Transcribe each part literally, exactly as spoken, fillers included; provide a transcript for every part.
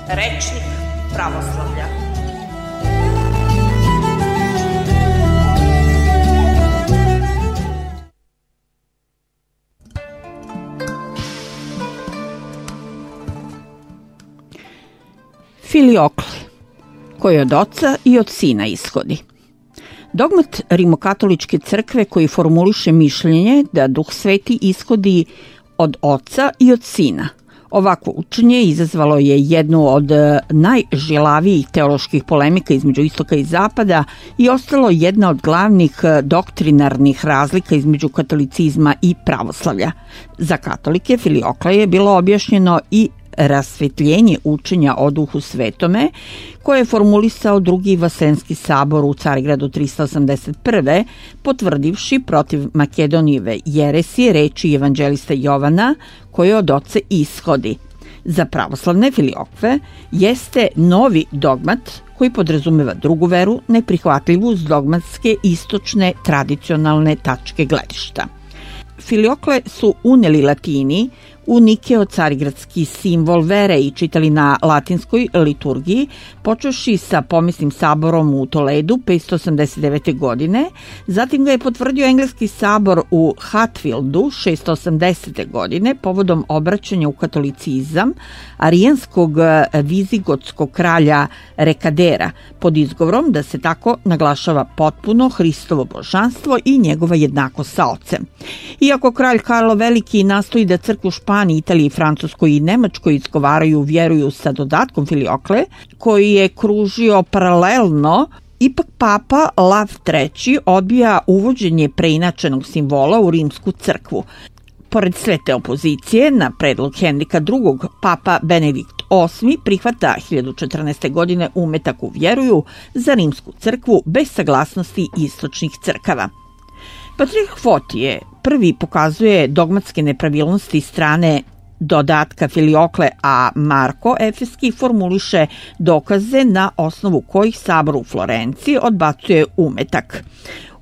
Rečnik pravoslavlja. Filiokle, koji od oca i od sina ishodi. Dogmat Rimokatoličke crkve koji formuliše mišljenje da Duh Sveti ishodi od oca i od sina. Ovakvo učenje izazvalo je jednu od najžilavijih teoloških polemika između istoka i zapada i ostalo jedna od glavnih doktrinarnih razlika između katolicizma i pravoslavlja. Za katolike Filiokle je bilo objašnjeno i rasvetljenje učenja o Duhu Svetome, koje je formulisao drugi Vaseljenski sabor u Carigradu tristo osamdeset prve, potvrdivši protiv Makedonijeve jeresije reči evanđelista Jovana koje od oca ishodi. Za pravoslavne Filiokve jeste novi dogmat koji podrazumeva drugu veru, neprihvatljivu s dogmatske istočne tradicionalne tačke gledišta. Filiokle su uneli Latini u Nikeo carigradski simbol vere i čitali na latinskoj liturgiji, počevši sa pomislim saborom u Toledu petsto osamdeset devete. godine, zatim ga je potvrdio engleski sabor u Hatfieldu šesto osamdesete. godine povodom obraćanja u katolicizam arijanskog vizigotskog kralja Rekadera, pod izgovorom da se tako naglašava potpuno Hristovo božanstvo i njegova jednakost sa ocem. Iako kralj Karlo Veliki nastoji da crkvu Španiji, Italiji, Francuskoj i Nemačkoj izgovaraju vjeruju sa dodatkom Filiokle, koji je kružio paralelno, ipak papa Lav treći odbija uvođenje preinačenog simbola u rimsku crkvu. Pored sve te opozicije, na predlog Henrika drugog, papa Benedikt osmi prihvata hiljadu četrnaeste. godine umetak u vjeruju za rimsku crkvu bez saglasnosti istočnih crkava. Patrijarh Fotije prvi pokazuje dogmatske nepravilnosti strane dodatka Filiokle, a Marko Efeski formuliše dokaze na osnovu kojih sabor u Florenciji odbacuje umetak.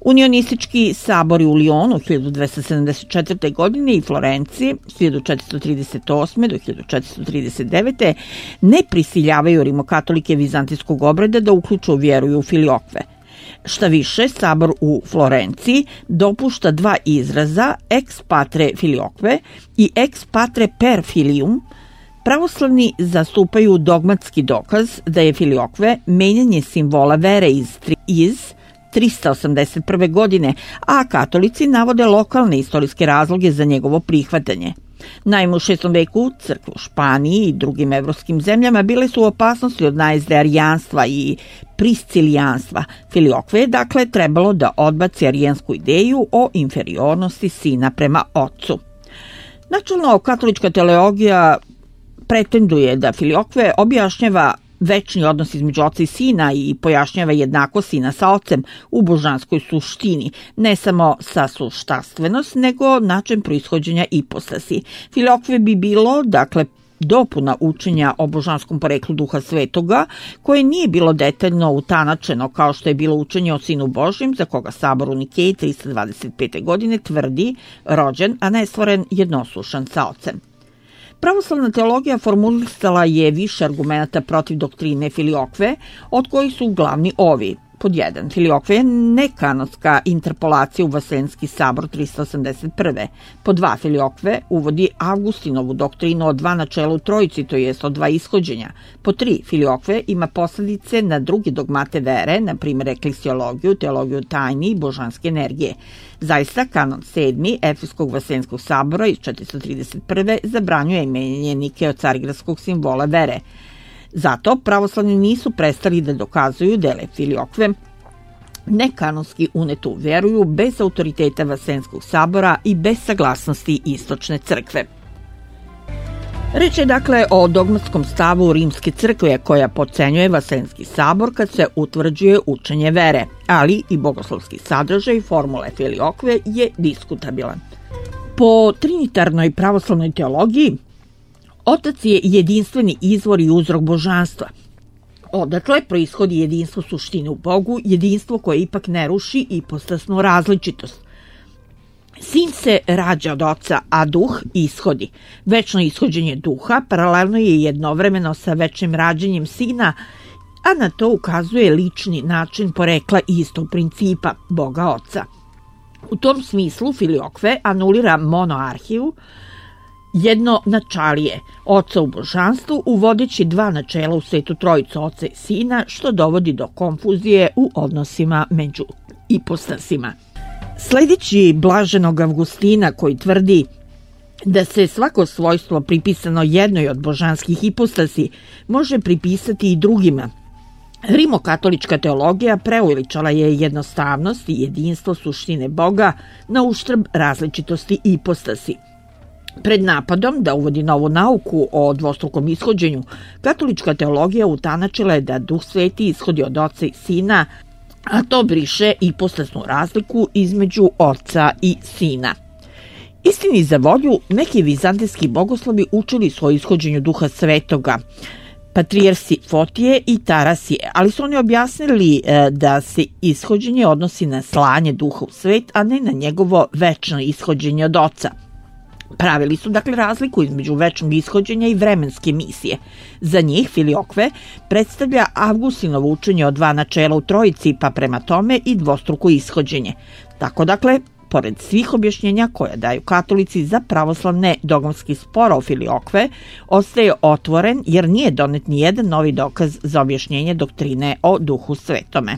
Unionistički sabori u Lionu hiljadu dvesta sedamdeset četvrte. godine i Florenciji hiljadu četiristo trideset osme. do hiljadu četiristo trideset devete. ne prisiljavaju rimokatolike vizantijskog obreda da uključu vjeruju u Filiokve. Šta više, sabor u Florenciji dopušta dva izraza ex patre Filiokve i ex patre per filium. Pravoslavni zastupaju dogmatski dokaz da je Filiokve menjanje simbola vere iz, iz tristo osamdeset prve. godine, a katolici navode lokalne istorijske razloge za njegovo prihvatanje. Naime, u šestom veku crkve u Španiji i drugim evropskim zemljama bile su u opasnosti od najezde arijanstva i priscilijanstva. Filiokve je dakle trebalo da odbaci arijansku ideju o inferiornosti sina prema ocu. Načelno, katolička teologija pretenduje da Filiokve objašnjava večni odnos između oca i sina i pojašnjava jednakost sina sa ocem u božanskoj suštini, ne samo sa suštanstvenost, nego način proishođenja ipostasi. Filiokve bi bilo, dakle, dopuna učenja o božanskom poreklu Duha Svetoga, koje nije bilo detaljno utanačeno kao što je bilo učenje o Sinu Božjem, za koga sabor u Nikeji tristo dvadeset pete. godine tvrdi rođen, a ne stvoren jednoslušan sa ocem. Pravoslavna teologija formulisala je više argumenata protiv doktrine Filiokve, od kojih su glavni ovi. Pod jedan, Filiokve je nekanonska interpolacija u Vaseljenski sabor tristo osamdeset prve. Pod dva, Filiokve uvodi Augustinovu doktrinu o dva načela u trojici, to jest o dva ishođenja. Pod tri, Filiokve ima posledice na druge dogmate vere, na primjer eklesiologiju, teologiju tajni i božanske energije. Zaista, kanon sedmi Efeskog Vaseljenskog sabora iz četiristo trideset prve zabranjuje menjanje Nikeo carigradskog simbola vere. Zato pravoslavni nisu prestali da dokazuju da je Filiokve nekanonski unetu vjeruju bez autoriteta Vaseljenskog sabora i bez saglasnosti istočne crkve. Reč je dakle o dogmatskom stavu Rimske crkve koja podcenjuje Vaseljenski sabor kad se utvrđuje učenje vere, ali i bogoslovski sadržaj formule Filiokve je diskutabilan. Po trinitarnoj pravoslavnoj teologiji Otac je jedinstveni izvor i uzrok božanstva. Odatle proishodi jedinstvo suštine u Bogu, jedinstvo koje ipak ne ruši ipostasnu različitost. Sin se rađa od oca, a duh ishodi. Večno ishođenje duha paralelno je jednovremeno sa večnim rađanjem sina, a na to ukazuje lični način porekla istog principa, Boga Oca. U tom smislu Filiokve anulira monoarhiju, jedno načalije, oca u božanstvu, uvodeći dva načela u svetu trojicu oca i sina, što dovodi do konfuzije u odnosima među ipostasima. Sledeći blaženog Avgustina, koji tvrdi da se svako svojstvo pripisano jednoj od božanskih ipostasi može pripisati i drugima, rimokatolička teologija preuveličala je jednostavnost i jedinstvo suštine Boga na uštrb različitosti ipostasi. Pred napadom da uvodi novu nauku o dvostrukom ishođenju, katolička teologija utanačila je da Duh Sveti ishodi od Oca i Sina, a to briše ipostasnu razliku između Oca i Sina. Istini za volju, neki vizantijski bogoslovi učili su o ishođenju Duha Svetoga, patrijarsi Fotije i Tarasije, ali su oni objasnili da se ishođenje odnosi na slanje Duha u svet, a ne na njegovo večno ishođenje od Oca. Pravili su dakle razliku između večnog ishođenja i vremenske misije. Za njih Filiokve predstavlja Avgustinovo učenje o dva načela u trojici, pa prema tome i dvostruko ishođenje. Tako dakle, pored svih objašnjenja koje daju katolici za pravoslavne dogmatski spor o Filiokve, ostaje otvoren jer nije donet ni jedan novi dokaz za objašnjenje doktrine o Duhu Svetome.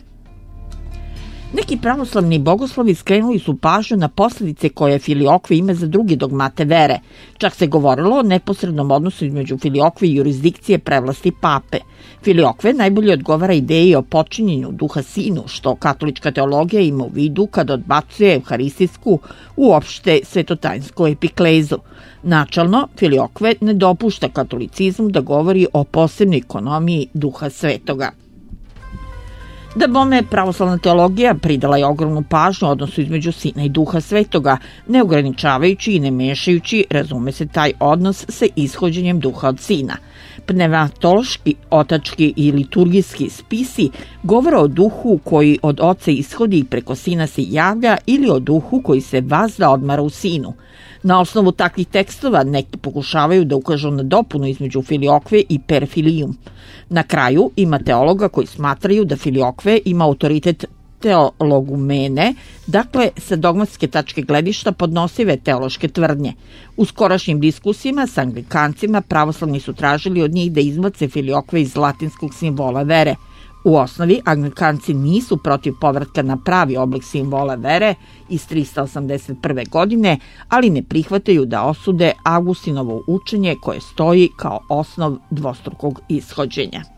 Neki pravoslavni bogoslovi skrenuli su pažnju na posljedice koje Filiokve ima za druge dogmate vere. Čak se govorilo o neposrednom odnosu između Filiokve i jurisdikcije prevlasti pape. Filiokve najbolje odgovara ideji o počinjenju Duha Sinu, što katolička teologija ima u vidu kad odbacuje evharistijsku, uopšte svetotajinsku epiklezu. Načalno, Filiokve ne dopušta katolicizmu da govori o posebnoj ekonomiji Duha Svetoga. Da bome, pravoslavna teologija pridala je ogromnu pažnju odnosu između Sina i Duha Svetoga, ne ograničavajući i ne mešajući, razume se, taj odnos sa ishođenjem Duha od Sina. Pneumatološki, otački i liturgijski spisi govore o duhu koji od Oca ishodi i preko Sina se javlja ili o duhu koji se vazda odmara u Sinu. Na osnovu takvih tekstova neki pokušavaju da ukažu na dopunu između Filiokve i Perfilium. Na kraju ima teologa koji smatraju da Filiokve ima autoritet teologumene, dakle sa dogmatske tačke gledišta podnosive teološke tvrdnje. U skorašnjim diskusijama sa anglikancima pravoslavni su tražili od njih da izbace Filiokve iz latinskog simbola vere. U osnovi, anglikanci nisu protiv povratka na pravi oblik simbola vere iz trista osamdeset prve. godine, ali ne prihvataju da osude Avgustinovo učenje koje stoji kao osnov dvostrukog ishođenja.